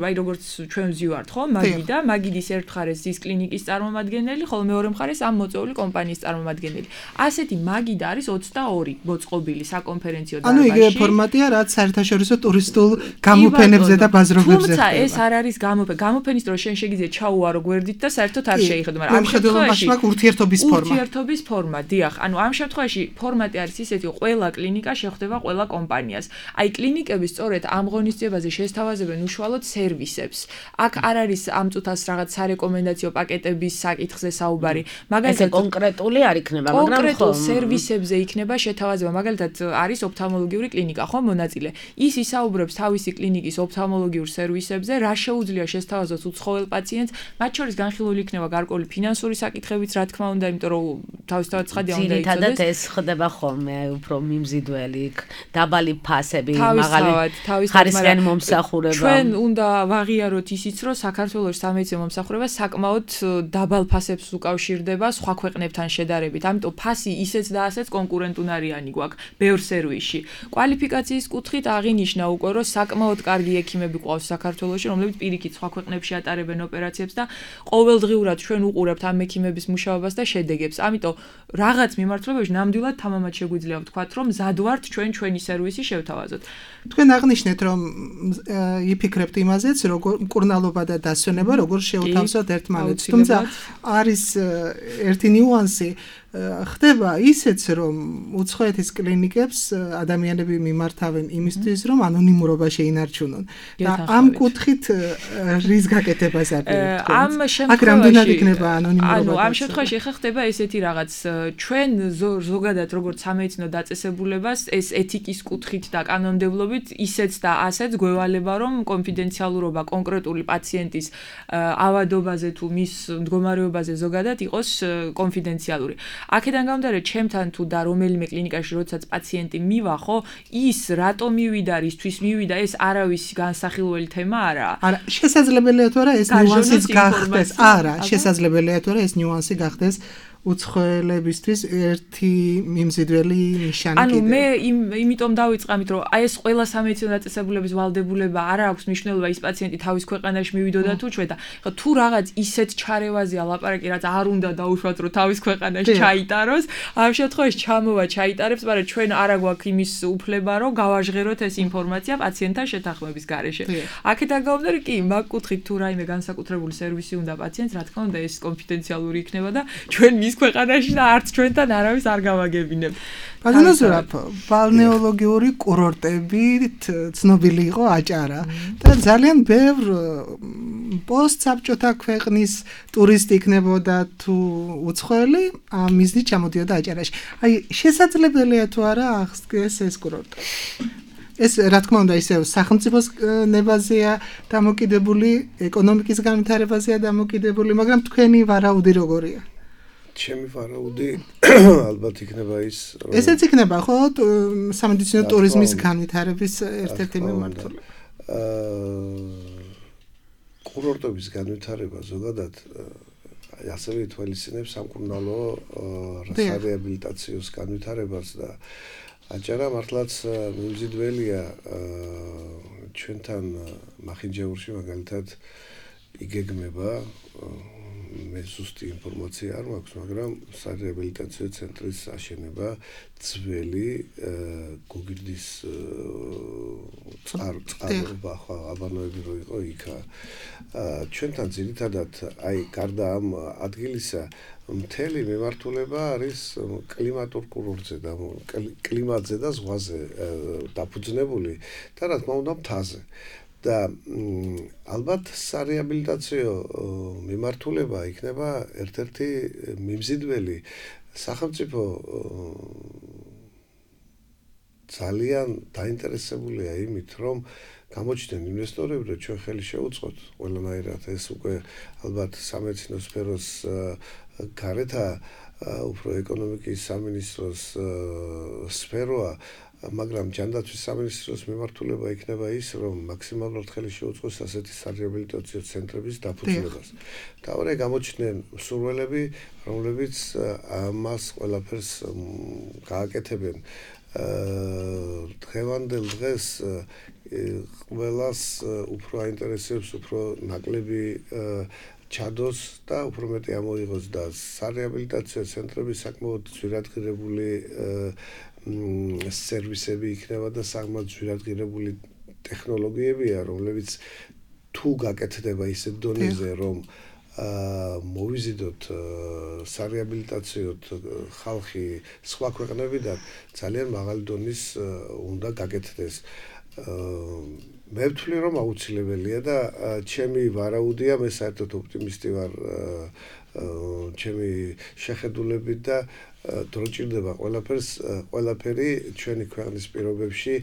აი როგორც ჩვენ ვზივართ, ხო? მაგიდა, მაგიდის ერთ მხარეს ის კლინიკის წარმომადგენელი, ხოლო მეორე მხარეს ამ მოწვეული კომპანიის წარმომადგენელი. ასეთი მაგიდა არის 22 მოწყობილი საკონფერენციო დარბაზში. ანუ იგივე ფორმატია, რაც საერთაშორისო ტურისტულ გამოფენებზე და ბაზრობებზე. თუმცა ეს არ არის გამოფენის დროს შენ შეგიძლია ჩაუარო გვერდით და საერთოდ არ შეიხედო, მაგრამ ამ შემთხვევაში ურთიერთობის ფორმა. ურთიერთობის ფორმა, დიახ. ანუ ამ შემთხვევაში ფორმატი არის ისეთი, რომ ყველა კლინიკა შეხვდება ყველა კომპანიას. აი კლინიკები სწორედ ამ ღონისძიებაზე შესთავაზებენ უშუალოდ სერვისებს. აქ არ არის ამ წუთას რაღაც სარეკომენდაციო პაკეტების საკითხზე საუბარი. მაგალითად კონკრეტული არ იქნება, მაგრამ კონკრეტულ სერვისებზე იქნება შეთავაზება. მაგალითად არის ოფთალმოლოგიური კლინიკა, ხო, მონაწილე. ის ისაუბრებს თავისი კლინიკის ოფთალმოლოგიურ სერვისებზე, რა შეუძლია შესთავაზოს უცხოელ პაციენტს, მათ შორის განხილული იქნება გარკვეული ფინანსური საკითხებიც, რა თქმა უნდა, იმიტომ რომ თავისთავად ცხადია უნდა იცოდეს. ძირითადად ეს ხდება ხოლმე უფრო მიმზიდველი, დაბალი ფასები, მაღალი ხარისხიანი მომსახურება. ჩვენ უნდა ვაღიაროთ ისიც, რომ საქართველოს სამედიცინო მომსახურება საკმაოდ დაბალ ფასებს უკავშირდება სხვა ქვეყნებთან შედარებით. ამიტომ ფასი ისეც და ასეც კონკურენტუნარიანი გვაქვს ბევრ სერვისში. კვალიფიკაციის კუთხით აღინიშნა უკვე, რომ საკმაოდ კარგი ექიმები ყავს საქართველოში, რომლებიც პირიქით სხვა ქვეყნებში ატარებენ ოპერაციებს და ყოველდღიურად ჩვენ უყურებთ ამ ექიმების მუშაობას და შედეგებს. ამიტომ რაღაც მიმართულებებში ნამდვილად თამამად შეგვიძლია ვთქვათ, რომ მზად ვართ ჩვენი სერვისი შევთავაზოთ. თქვენ აღნიშნეთ, რომ იფიქრებთ იმაზეც, როგორ მკურნალობა და დასვენება როგორ შეუთავსოთ ერთმანეთს. თუმცა არის ერთი ნიუანსი, ხდება ისეც, რომ უცხოეთის კლინიკებს ადამიანები მიმართავენ იმისთვის, რომ ანონიმურობა შეინარჩუნონ. და ამ კუთხით რის გაკეთებას აპირებთ? აქ რამდენად იქნება ანონიმურობა? ანუ ამ შემთხვევაში ხა ხდება ესეთი რაღაც, ჩვენ ზოგადად როგორც სამედიცინო დაწესებულებას ეს ეთიკის კუთხით და კანონმდებლობით ისეც და ასეც გვევალება, რომ კონფიდენციალურობა კონკრეტული პაციენტის ავადობაზე თუ მის მდგომარეობაზე ზოგადად იყოს კონფიდენციალური. აქედან გამომდინარე, ჩემთან თუ და რომელიმე კლინიკაში როდესაც პაციენტი მივა, ხო, ის რატომ მივიდა, რისთვის მივიდა, ეს არავის განსახილველი თემა არაა. არა, შესაძლებელია თუ არა ეს ნიუანსიც გახდეს. არა, შესაძლებელია თუ არა ეს ნიუანსი გახდეს უცხოელებისთვის ერთი მიმზიდველი ნიშანი კიდე. ანუ მე იმიტომ დავიწყე ამით, რომ აი ეს ყველა სამედიცინო დაწესებულების ვალდებულება არ აქვს მნიშვნელობა ის პაციენტი თავის ქვეყანაში მივიდოდა თუ ჩვენ და ხო თუ რაღაც ისეთ ჩარევაზეა ლაპარაკი, რაც არ უნდა დაუშვათ, რომ თავის ქვეყანაში ჩაიტაროს, ამ შემთხვევაში ჩამოვა ჩაიტარებს, მაგრამ ჩვენ არა გვაქვს იმის უფლება, რომ გავაჟღეროთ ეს ინფორმაცია პაციენტთან შეთანხმების გარეშე. აქედან გამომდინარე, კი, მაგ კუთხით თუ რაიმე განსაკუთრებული სერვისი უნდა პაციენტს, რა თქმა უნდა, ეს კონფიდენციალური იქნება და ჩვენ მის ქვეყანაში და არც ჩვენთან არავის არ გავაგებინებ. ბატონო ზურაბ, ბალნეოლოგიური კურორტებით ცნობილი იყო აჭარა და ძალიან ბევრ პოსტსაბჭოთა ქვეყნის ტურისტი იქნებოდა თუ უცხოელი, ამ მიზნით ჩამოდიოდა აჭარაში. აი, შესაძლებელია თუ არა აღსდგეს ეს კურორტი? ეს რა თქმა უნდა ისე სახელმწიფოს ნებაზეა დამოკიდებული, ეკონომიკის განვითარებაზეა დამოკიდებული, მაგრამ თქვენი ვარაუდი როგორია? ჩემი ვარაუდი ალბათ იქნება ის, რომ ესეც იქნება ხო სამედიცინო ტურიზმის განვითარების ერთ-ერთი მიმართულება. კურორტების განვითარება ზოგადად ასევე ითვალისწინებს სამკურნალო რეაბილიტაციოს განვითარებას და აჭარა მართლაც მიმზიდველია ჩვენთან მახინჯაურში მაგალითად იგეგმება მე ზუსტი ინფორმაცია არ მაქვს, მაგრამ სარეაბილიტაციო ცენტრის აშენება ძველი გოგირდის წყაროება ხო აბანოები რო იყო იქა. ჩვენთან ძირითადად აი გარდა ამ ადგილისა მთელი მიმართულება არის კლიმატურ კურორტზე და კლიმატზე და ზღვაზე დაფუძნებული და რა თქმა უნდა მთაზე. და ალბათ სარეაბილიტაციო მიმართულება იქნება ერთ-ერთი მიმზიდველი სახელმწიფო ძალიან დაინტერესებულია იმით, რომ გამოჩნდნენ ინვესტორები, რომ ჩვენ ხელი შეუწყოთ ყველანაირად ეს უკვე ალბათ სამედიცინო სფეროს გარეთ უფრო ეკონომიკის სამინისტროს სფეროა, მაგრამ ჯანდაცვის სამინისტროს მიმართულება იქნება ის, რომ მაქსიმალურად ხელი შეუწყოს ასეთი სარეაბილიტაციო ცენტრების დაფუძნებას. თავარი გამოჩნდნენ მსურველები, რომლებიც ამას ყველაფერს გააკეთებენ. დღევანდელ დღეს ყველას უფრო აინტერესებს უფრო ნაკლები ჩადოს და უფრო მეტი ამოიღოს და სარეაბილიტაციო ცენტრები საკმაოდ ძვირადღირებული სერვისები იქნება და საკმაოდ ძვირადღირებული ტექნოლოგიებია, რომლებიც თუ გაკეთდება ისეთ დონეზე, რომ მოვიზიდოთ სარეაბილიტაციოდ ხალხი სხვა ქვეყნებიდან ძალიან მაღალი დონის უნდა გაკეთდეს. მე ვთვლი, რომ აუცილებელია და ჩემი ვარაუდია, მე საერთოდ ოპტიმისტი ვარ ჩემი შეხედულებით და დრო ჭირდება ყველაფერი ჩვენი ქვეყნის პირობებში,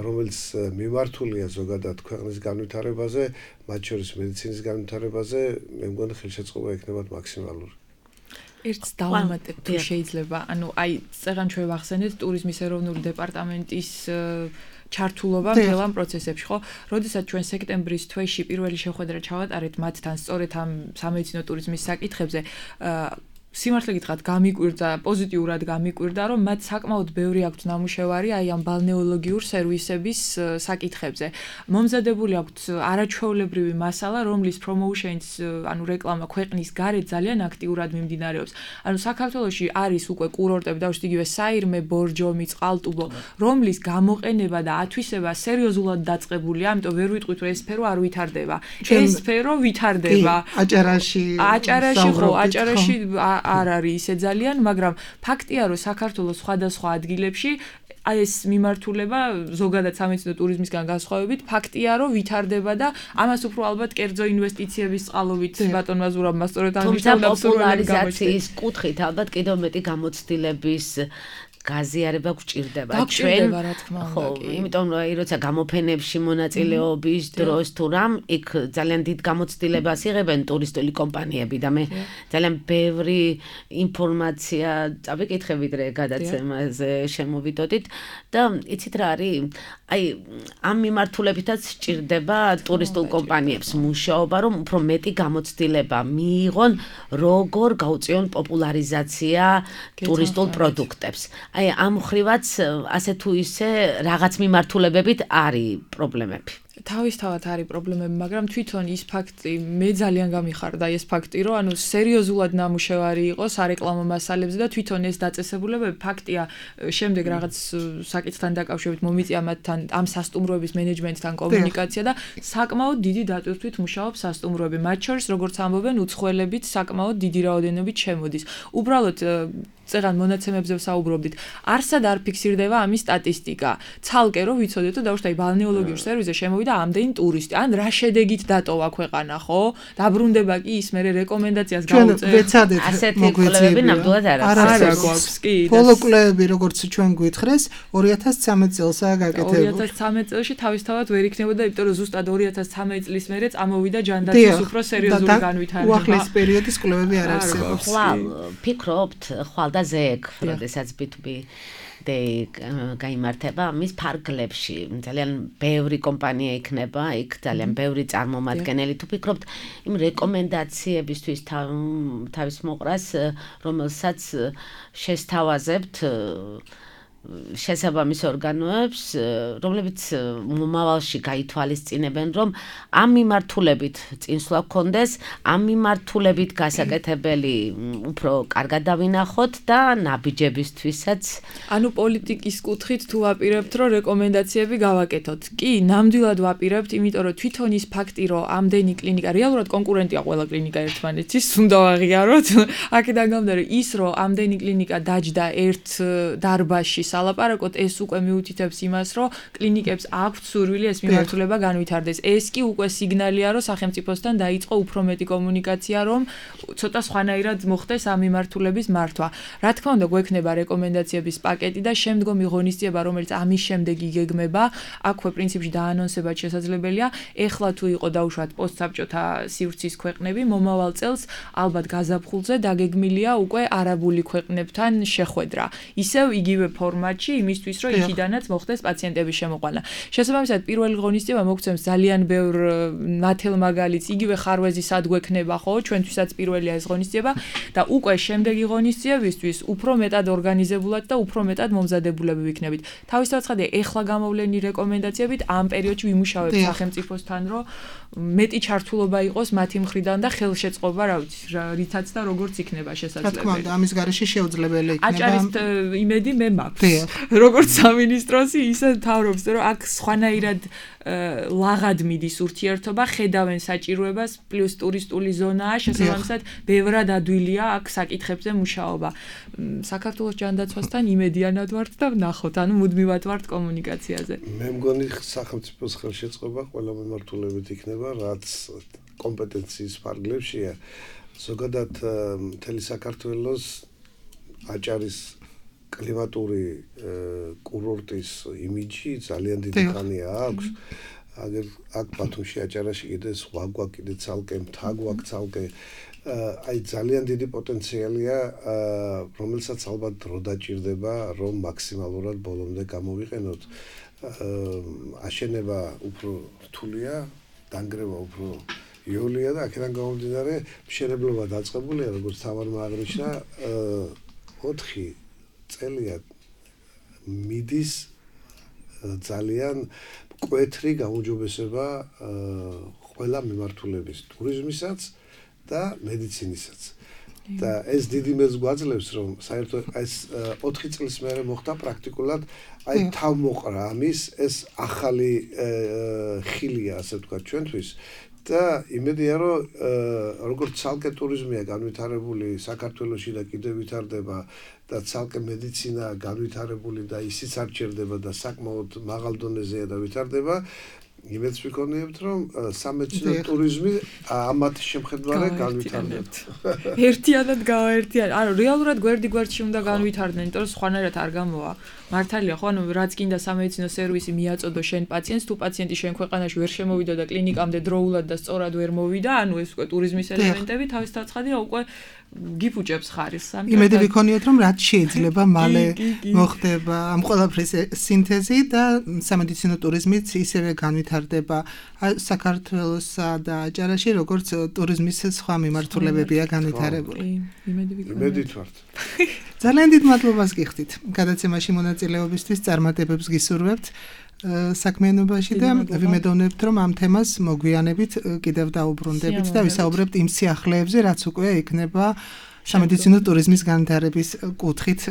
რომელიც მიმართულია ზოგადად ქვეყნის განვითარებაზე, მათ შორის მედიცინის განვითარებაზე, მე მგონი ხელშეწყობა იქნება მაქსიმალური. ერთს დავამატებ თუ შეიძლება, ანუ აი წეგან ჩვენ ვახსენეთ ტურიზმის ეროვნული დეპარტამენტის ჩართულობა მთელ ამ პროცესებში, ხო? როდესაც ჩვენ სექტემბრის თვეში პირველი შეხვედრა ჩავატარეთ მათთან სწორედ ამ სამედიცინო ტურიზმის საკითხებზე, სიმართლე გითხრათ, გამიკვირდა, პოზიტიურად გამიკვირდა, რომ მათ საკმაოდ ბევრი აქვთ ნამუშევარი აი ამ ბალნეოლოგიურ სერვისების საკითხებზე. მომზადებული აქვთ არაჩვეულებრივი მასალა, რომლის პრომოუშენს, ანუ რეკლამა ქვეყნის გარეთ ძალიან აქტიურად მიმდინარეობს. ანუ საქართველოში არის უკვე კურორტები, დავუშვით იგივე საირმე, ბორჯომი, წყალტუბო, რომლის გამოყენება და ათვისება სერიოზულად დაწყებულია, ამიტომ ვერ ვიტყვით, რომ ეს სფერო არ ვითარდება. ეს სფერო ვითარდება. აჭარაში ხო, აჭარაში არ არის ისე ძალიან, მაგრამ ფაქტია, რომ საქართველოს სხვადასხვა ადგილებში ეს მიმართულება ზოგადად სამედიცინო ტურიზმისგან განსხვავებით ფაქტია, რომ ვითარდება და ამას უფრო ალბათ კერძო ინვესტიციების წყალობით ბატონმა ზურაბმა სწორედ აღნიშნა და პოპულარიზაციის კუთხით ალბათ კიდევ მეტი გამოცდილების გაზიარება გვჭირდება ჩვენ რა თქმა უნდა ხო იმიტომ რომ აი როცა გამოფენებში მონაწილეობის დროს თუ რამ იქ ძალიან დიდ გამოცდილებას იღებენ ტურისტული კომპანიები და მე ძალიან ბევრი ინფორმაცია წავიკითხე ვიდრე გადაცემაზე შემოვიდოდით და იცით რა არის აი ამ მიმართულებითაც სჭირდება ტურისტულ კომპანიებს მუშაობა რომ უფრო მეტი გამოცდილება მიიღონ როგორ გაუწიონ პოპულარიზაცია ტურისტულ პროდუქტებს აი ამ ხრივაც ასე თუ ისე რაღაც მიმართულებებით არის პრობლემები თავისთავად არის პრობლემები, მაგრამ თვითონ ის ფაქტი მე ძალიან გამიხარდა ეს ფაქტი, რომ ანუ სერიოზულად ნამუშევარი იყო სარეკლამო მასალებზე და თვითონ ეს დაწესებულებები ფაქტია შემდეგ რაღაც საკითხთან დაკავშირებით მომიწია მათთან ამ სასტუმროების მენეჯმენტთან კომუნიკაცია და საკმაოდ დიდი დატვირთვით მუშაობს სასტუმროები. მათ შორის როგორც ამბობენ უცხოელებით საკმაოდ დიდი რაოდენობით შემოდის. უბრალოდ წეგან მონაცემებზე ვსაუბრობდით. არსად არ ფიქსირდება ამის სტატისტიკა. ცალკე რომ ვიცოდეთ, რომ დაუშვათ ბალნეოლოგიურ სერვისზე შემოვიდა ამდენი ტურისტი. ან რა შედეგით დატოვა ქვეყანა, ხო? დაბრუნდება კი ის მერე რეკომენდაციას გაუწევს. ჩვენ ვეცადეთ ასეთი კვლევები ნამდვილად არ აქვს. კი. ბოლო კვლევები როგორც ჩვენ გვითხრეს 2013 წელსაა გაკეთებული. 2013 წელში თავისთავად ვერ იქნებოდა, იმიტომ რომ ზუსტად 2013 წლის მერე წამოვიდა ჯანდაცვის უფრო სერიოზული განვითარება. უახლეს პერიოდის კვლევები არ არსებობს. ხვალ ფიქრობთ, ხვალ და ზეგ, როდესაც B2B Day გაიმართება მის ფარგლებში ძალიან ბევრი კომპანია იქნება, იქ ძალიან ბევრი წარმომადგენელი თუ ფიქრობთ იმ რეკომენდაციებისთვის თავის მოყრას, რომელსაც შესთავაზებთ შესაბამის ორგანოებს, რომლებიც მომავალში გაითვალისწინებენ, რომ ამ მიმართულებით წინსვლა გქონდეს, ამ მიმართულებით გასაკეთებელი უფრო კარგად დავინახოთ და ნაბიჯებისთვისაც. ანუ პოლიტიკის კუთხით თუ ვაპირებთ, რომ რეკომენდაციები გავაკეთოთ. კი, ნამდვილად ვაპირებთ, იმიტომ რომ თვითონ ის ფაქტი, რომ ამდენი კლინიკა, რეალურად კონკურენტია ყველა კლინიკა ერთმანეთის, უნდა ვაღიაროთ. აქედან გამომდინარე, ის რომ ამდენი კლინიკა დაჯდა ერთ დარბაზში ალაპარაკოთ ეს უკვე მიუთითებს იმას, რომ კლინიკებს აქვთ სურვილი ეს მიმართულება განვითარდეს. ეს კი უკვე სიგნალია, რომ სახელმწიფოსთან დაიწყო უფრო მეტი კომუნიკაცია, რომ ცოტა სხვანაირად მოხდეს ამ მიმართულების მართვა. რა თქმა უნდა, გვექნება რეკომენდაციების პაკეტი და შემდგომი ღონისძიება, რომელიც ამის შემდეგ იგეგმება, აქვე პრინციპში დაანონსებად შესაძლებელია. ეხლა თუ იყო დაუშვათ პოსტსაბჭოთა სივრცის ქვეყნები, მომავალ წელს ალბათ გაზაფხულზე დაგეგმილია უკვე არაბული ქვეყნებთან შეხვედრა. ისევ იგივე ფორმატში იმისთვის, რომ იქიდანაც მოხდეს პაციენტების შემოყვანა. შესაბამისად, პირველი ღონისძიება მოგცემს ძალიან ბევრ ნათელმაგალითს, იგივე ხარვეზი სად გვექნება, ხო? ჩვენთვისაც პირველია ეს ღონისძიება და უკვე შემდეგი ღონისძიებისთვის უფრო მეტად ორგანიზებულად და უფრო მეტად მომზადებულები ვიქნებით. თავისთავად ცხადია, ეხლა გამოვლენი რეკომენდაციებით ამ პერიოდში ვიმუშავებთ სახელმწიფოსთან, რომ მეტი ჩართულობა იყოს მათი მხრიდან და ხელშეწყობა, რა ვიცი, რითაც და როგორც იქნება შესაძლებელი. რა თქმა უნდა, ამის გარეშე შეუძლებელი იქნება. აჭარის იმედი მე მაქვს. როგორც სამინისტროსი ისე თავრობს, რომ აქ სხვანაირად ლაღად მიდის ურთიერთობა, ხედავენ საჭიროებას, პლუს ტურისტული ზონაა, შესაბამისად, ბევრად ადვილია აქ საკითხებზე მუშაობა. საქართველოს ჯანდაცვასთან იმედიანად ვართ და ვნახოთ, ანუ მუდმივად ვართ კომუნიკაციაზე. მე მგონი სახელმწიფოს ხელშეწყობა ყველა მიმართულებით იქნება, რაც კომპეტენციის ფარგლებშია. ზოგადად მთელი საქართველოს აჭარის კლიმატური კურორტის იმიჯი ძალიან დიდი ხანია აქვს. აგერ აქ ბათუმში აჭარაში კიდე სხვა გვაქვს, კიდე ცალკე მთა გვაქვს, ცალკე აი ძალიან დიდი პოტენციალია, რომელსაც ალბათ დრო დაჭირდება, რომ მაქსიმალურად ბოლომდე გამოვიყენოთ. აშენება უფრო რთულია, დანგრევა უფრო იოლია და აქედან გამომდინარე მშენებლობა დაწყებულია, როგორც თამარმა აღნიშნა, 4 წელია მიდის ძალიან მკვეთრი გამოჯობესება ყველა მიმართულების, ტურიზმისაც და მედიცინისაც. და ეს დიდი მეც გვაძლევს, რომ საერთოდ ეს 4 წლის მერე მოხდა პრაქტიკულად აი თავმოყრა ამის ეს ახალი ხილია, ასე ვთქვათ, ჩვენთვის. და იმედია, რომ როგორც ცალკე ტურიზმია განვითარებული საქართველოში და კიდევ ვითარდება და ცალკე მედიცინა განვითარებული და ისიც არ ჩერდება და საკმაოდ მაღალ დონეზეა და ვითარდება, იმედს ვიქონიებთ, რომ სამედიცინო ტურიზმი ამათ შემხედვარად განვითარდება. ერთიანად გავაერთიანებთ. ანუ რეალურად გვერდი-გვერდში უნდა განვითარდნენ, იმიტომ რომ სხვანაირად არ გამოვა. მართალია, ხო, ანუ რაც კიდე სამედიცინო სერვისი მიაწოდო შენ პაციენტს, თუ პაციენტი შენ ქვეყანაში ვერ შემოვიდა და კლინიკამდე დროულად და სწორად ვერ მოვიდა, ანუ ეს უკვე ტურიზმის ელემენტები თავის დაცხადია უკვე გიფუჭებს ხარისს. იმედი ვიქონიოთ, რომ რაც შეიძლება მალე მოხდება ამ ყველაფრის სინთეზი და სამედიცინო ტურიზმიც ისევე განვითარდება საქართველოსა და აჭარაში, როგორც ტურიზმის სხვა მიმართულებებია განვითარებული. იმედით ვართ. ძალიან დიდ მადლობას გიხდით. გადაცემაში მონაწილეობისთვის წარმატებებს გისურვებთ საქმიანობაში და ვიმედოვნებთ, რომ ამ თემას მოგვიანებით კიდევ დაუბრუნდებით და ვისაუბრებთ იმ სიახლეებზე, რაც უკვე იქნება სამედიცინო ტურიზმის განვითარების კუთხით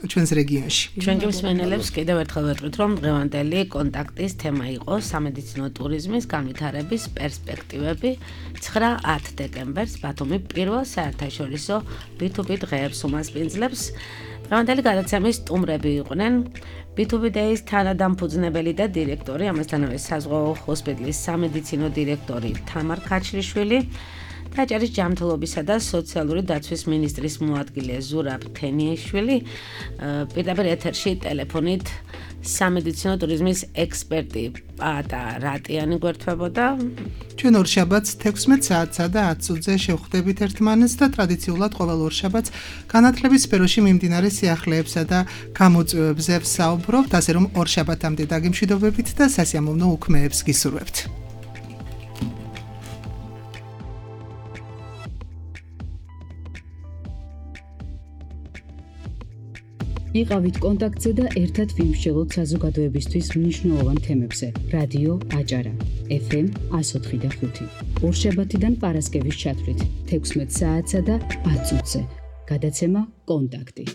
ჩვენს რეგიონში. ჩვენ მსმენელებს კიდევ ერთხელ ვეტყვით, რომ დღევანდელი კონტაქტის თემა იყო სამედიცინო ტურიზმის განვითარების პერსპექტივები 9-10 დეკემბერს ბათუმი პირველ საერთაშორისო B2B დღეებს უმასპინძლებს. დღევანდელი გადაცემის სტუმრები იყვნენ B2B Days თანადამფუძნებელი და დირექტორი, ამასთანავე საზღვაო ჰოსპიტალის სამედიცინო დირექტორი თამარ ქაჩლიშვილი და აჭარის ჯანმრთელობისა და სოციალური დაცვის მინისტრის მოადგილე ზურაბ თენიაშვილი. პირდაპირ ეთერში ტელეფონით სამედიცინო ტურიზმის ექსპერტი პატა რატიანი გვერდთვებოდა. ჩვენ ორშაბათს 16 საათსა და 10 წუთზე შევხვდებით ერთმანეთს და ტრადიციულად ყოველ ორშაბათს განათლების სფეროში მიმდინარე სიახლეებსა და გამოწვევებზე ვსაუბრობთ, ასე რომ ორშაბათამდე დაგემშვიდობებით და სასიამოვნო უქმეებს გისურვებთ. იყავით კონტაქტზე და ერთად ვიმსჯელოთ საზოგადოებისთვის მნიშვნელოვან თემებზე. რადიო აჭარა FM 104.5. ორშაბათიდან პარასკევის ჩათვლით 16 საათსა და 10 წუთზე. გადაცემა კონტაქტი.